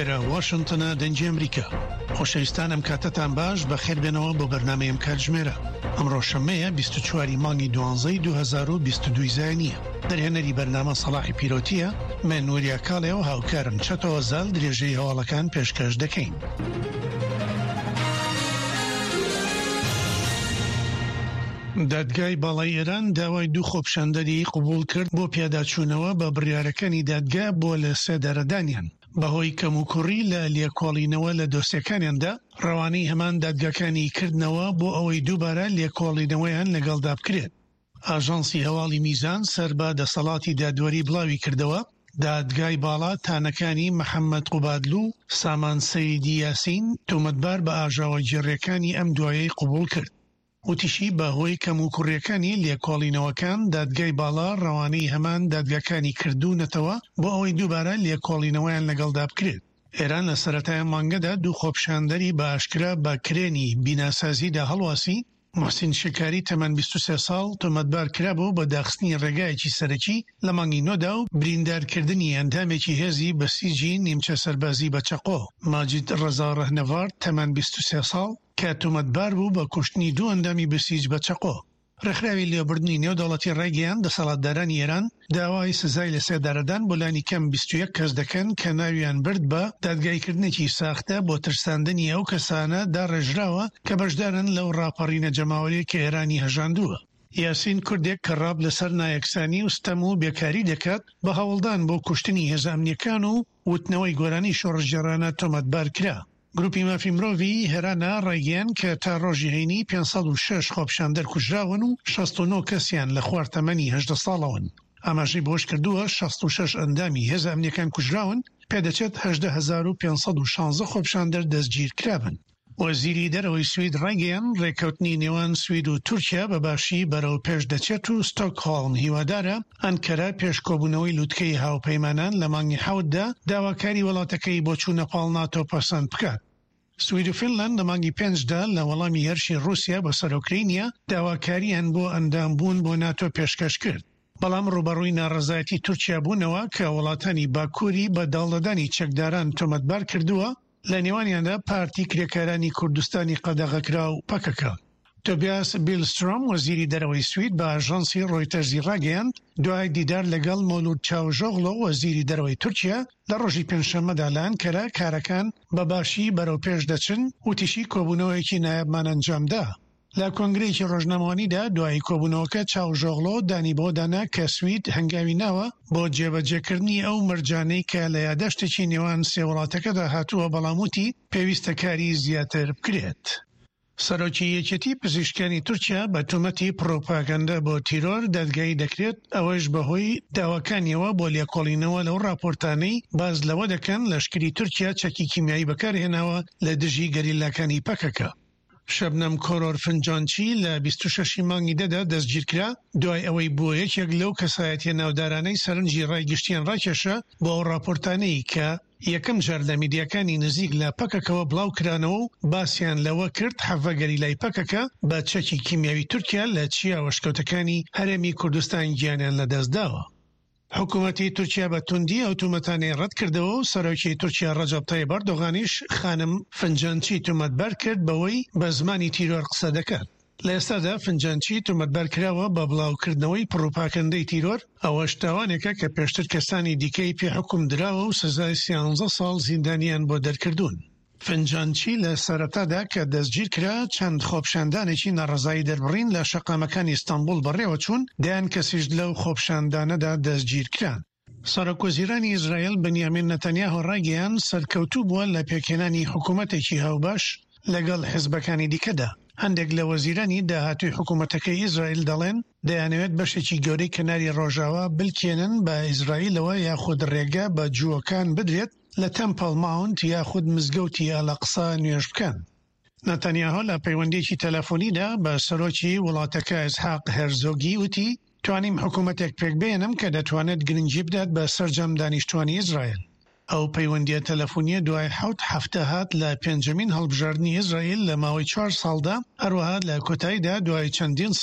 ئێرە واشنتنە دەنگی ئەمریکا. خۆشەویستان ئەم کاتەتان باش بەخێر بێنەوە بۆ بەرنامەی ئەم کاتژمێرە. ئەمڕۆ شەممەیە 24 ی مانگی دوانزەی 2022 زایینیە. دەرهێنەری بەرنامە سەڵاحی پیرۆتیە، من وریا کاڵێ و هاوکارم چەتۆ زال درێژەی هەواڵەکان پێشکەش دەکەین. دادگای باڵای ئێران داوای دوو خۆپیشاندەری قبوڵ کرد بۆ پیاداچوونەوە بە بڕیارەکانی دادگا بۆ لە سێدارەدانیان بەهۆی کەموکوڕی لە لێکۆڵینەوە لە دۆسیەکانیاندا ڕەوانەی هەمان دادگاکانی کردنەوە بۆ ئەوەی دووبارە لێکۆڵینەوەیان لەگەڵدا بکرێت. ئاژانسی هەواڵی میزان سەر بە دەسەڵاتی دادوەری بڵاویکردەوە، دادگای باڵا تانەکانی محەمەد قوبادلو و سامان سەیدی یاسین تۆمەتبار بە ئاژاوەگێڕییەکانی ئەم دوایەی قبوڵ کرد. وتیشی، بە هۆی کەموکوڕییەکانی لێکۆڵینەوەکان، دادگای باڵا ڕەوانەی هەمان دادگاکانی کردوونەتەوە بۆ ئەوەی دووبارە لێکۆڵینەوەیان لەگەڵدا بکرێت. ئێران لە سەرەتای ئەم مانگەدا دوو خۆپیشاندەری بە ئاشکرا بە کرێنی بیناسازیدا هەڵواسی، موحسین شکاری تەمەن 23 ساڵ تۆمەتبار کرابوو بە داخستنی ڕێگایەکی سەرەکی لە مانگی نۆدا و بریندارکردنی ئەندامێکی هێزی بەسیجی نیمچە سەربازی بە چەقۆ. ماجید ڕەزا ڕەهنەڤارد تەمەن 23 ساڵ کە تۆمەتبار بوو بە کوشتنی دوو ئەندامی بەسیج بە چەقۆ. ڕێکخراوی لێبوردنی نێودەوڵەتی ڕایگەیاند، دەسەڵاتدارانی ئێران داوای سزای لەسێدارەدان بۆ لانی کەم 21 کەس دەکەن کە ناویان برد بە دادگاییکردنێکی ساختە بۆ ترساندنی ئەو کەسانە داڕێژراوە کە بەشدارن لەو ڕاپەڕینە جەماوەرییە کە ئێرانی هەژاندووە. یاسین کوردێک کە ڕاپ لەسەر نایەکسانی و ستەم و بێکاری دەکات، بە هەوڵدان بۆ کوشتنی هێزە ئەمنییەکان و وتنەوەی گۆرانی شۆڕشگێڕانە تۆمەتبار کرا. گروپی مافی مرۆڤی هێرانا ڕایگەیاند کە تا ڕۆژی هەینی 506 خۆپیشاندەر کوژراون و 69 کەسیان لە خوار تەمەنی 18 ساڵەوەن. ئاماژەی بەوەشکردووە، 66 ئەندامی هێزە ئەمنییەکان کوژراون، پێدەچێت 18516 خۆپیشاندەر دەستگیرکرابن. وەزیری دەرەوەی سوید ڕایگەیاند، ڕێککەوتنی نێوان سوید و تورکیا بە باشی بەرەو پێش دەچێت و ستۆکهۆڵم هیوادارە ئەنکەرە پێش کۆبوونەوەی لوتکەی هاوپەیمانان لە مانگی حەوتدا داواکاری وڵاتەکەی بۆ چوونە پاڵ ناتۆ پەسەند بکات. سوید و فینلاند لە مانگی پێنجدا لە وەڵامی هێرشی ڕووسیا بۆ سەر ئۆکرەینیا داواکارییان بۆ ئەندامبوون بۆ ناتۆ پێشکەش کرد، بەڵام ڕووبەڕووی ناڕەزایەتی تورکیا بوونەوە کە وڵاتانی باکووری بە داڵدەدانی چەکداران تۆمەتبار کردووە، لە نێوانیاندا پارتی کرێکارانی کوردستانی قەدەغەکراو، پەکەکە. تۆبیاس بیلسترۆم، وەزیری دەرەوەی سوید بە ئاژانسی ڕۆیتەرزی ڕاگەیاند، دوای دیدار لەگەڵ مەولود چاوشئۆغلۆ، وەزیری دەرەوەی تورکیا، لە ڕۆژی پێنجشەممەدا لە ئەنکەرە، کارەکان بە باشی بەرەوپێش دەچن، وتیشی کۆبوونەوەیەکی نایابمان ئەنجامدا. لە کۆنگرەیەکی ڕۆژنامەوانیدا دوای کۆبوونەوەکە چاوشئۆغلۆ دانی بەوەدا نا کە سوید هەنگاوی ناوە بۆ جێبەجێکردنی ئەو مەرجانەی کە لە یاداشتێکی نێوان سێ وڵاتەکەدا هاتووە، بەڵام وتی پێویستە کاری زیاتر بکرێت. سەرۆکی یەکێتی پزیشکانی تورکیا بە تۆمەتی پڕوپاگەندە بۆ تیرۆر دادگایی دەکرێت، ئەوەش بەهۆی داواکانیەوە بۆ لێکۆڵینەوە لەو ڕاپۆرتانەی باس لەوە دەکەن لەشکری تورکیا چەکی کیمیایی بەکارهێناوە لە دژی گەریلاکانی پەکەکە. شەبنەم کۆرۆر فنجانچی لە 26 ی مانگی دەدا دەستگیرکرا، دوای ئەوەی بووە یەکێک لەو کەسایەتیە ناودارانەی سەرنجی ڕای گشتیان ڕاکێشا بۆ ئەو ڕاپۆرتانەی کە یەکەم جار لە میدیاکانی نزیک لە پەکەکەوە بڵاوکرانەوە و باسیان لەوە کرد حەڤە گەریلای پەکەکە بە چەکی کیمیاوی تورکیا لە چیا و ئەشکەوتەکانی هەرێمی کوردستان گیانیان لەدەستداوە. حکومەتی تورکیا بە توندی ئەو تۆمەتانەی ڕەتکردەوە و سەرۆکی تورکیا ڕەجەب تەیب ئەردۆغانیش خانم فنجانچی تۆمەتبار کرد بەوەی بە زمانی تیرۆر قسە دەکات. لە ئێستادا فنجانچی تۆمەتبار کراوە بە بڵاوکردنەوەی پڕوپاکەندەی تیرۆر، ئەوەش تاوانێکە کە پێشتر کەسانی دیکەی پێ حوکم دراوە و سزای سیانزە ساڵ زیندانیان بۆ دەرکردوون. فنجانچی لە سەرەتادا کە دەستگیرکرا، چەند خۆپیشاندانێکی ناڕەزایی دەربڕین لە شەقامەکانی ئیستانبوڵ بەڕێوەچوون، دەیان کەسیش لەو خۆپیشاندانەدا دەستگیرکران. سەرۆکوەزیرانی ئیسرائیل بنیامین نەتەنیاهۆ ڕایگەیاند، سەرکەوتوو بووە لە پێکهێنانی حکومەتێکی هاوبەش لەگەڵ حزبەکانی دیکەدا. هەندێک لە وەزیرانی داهاتووی حکومەتەکەی ئیسرائیل دەڵێن، دەیانەوێت بەشێکی گەورەی کەناری ڕۆژاوا بلکێنن بە ئیسرائیلەوە یاخود ڕێگە بە جووەکان بدرێت لە تەمپڵ ماونت یاخود مزگەوتی ئەلئەقسا نوێژ بکەن. ناتانیاهۆ لە پەیوەندییەکی تەلەفۆنیدا بە سەرۆکی وڵاتەکە ئیسحاق هێرزۆگی وتی، توانیم حکومەتێک پێکبهێنم کە دەتوانێت گرنگی بدات بە سەرجەم دانیشتوانی ئیسرائیل. ئەو پەیوەندییە تەلەفۆنییە دوای حەوت هەفتە هات لە پێنجەمین هەڵبژاردنی ئیسرائیل لە ماوەی چوار ساڵدا، هەروەها لە کۆتاییدا دوای چەندین ساڵ.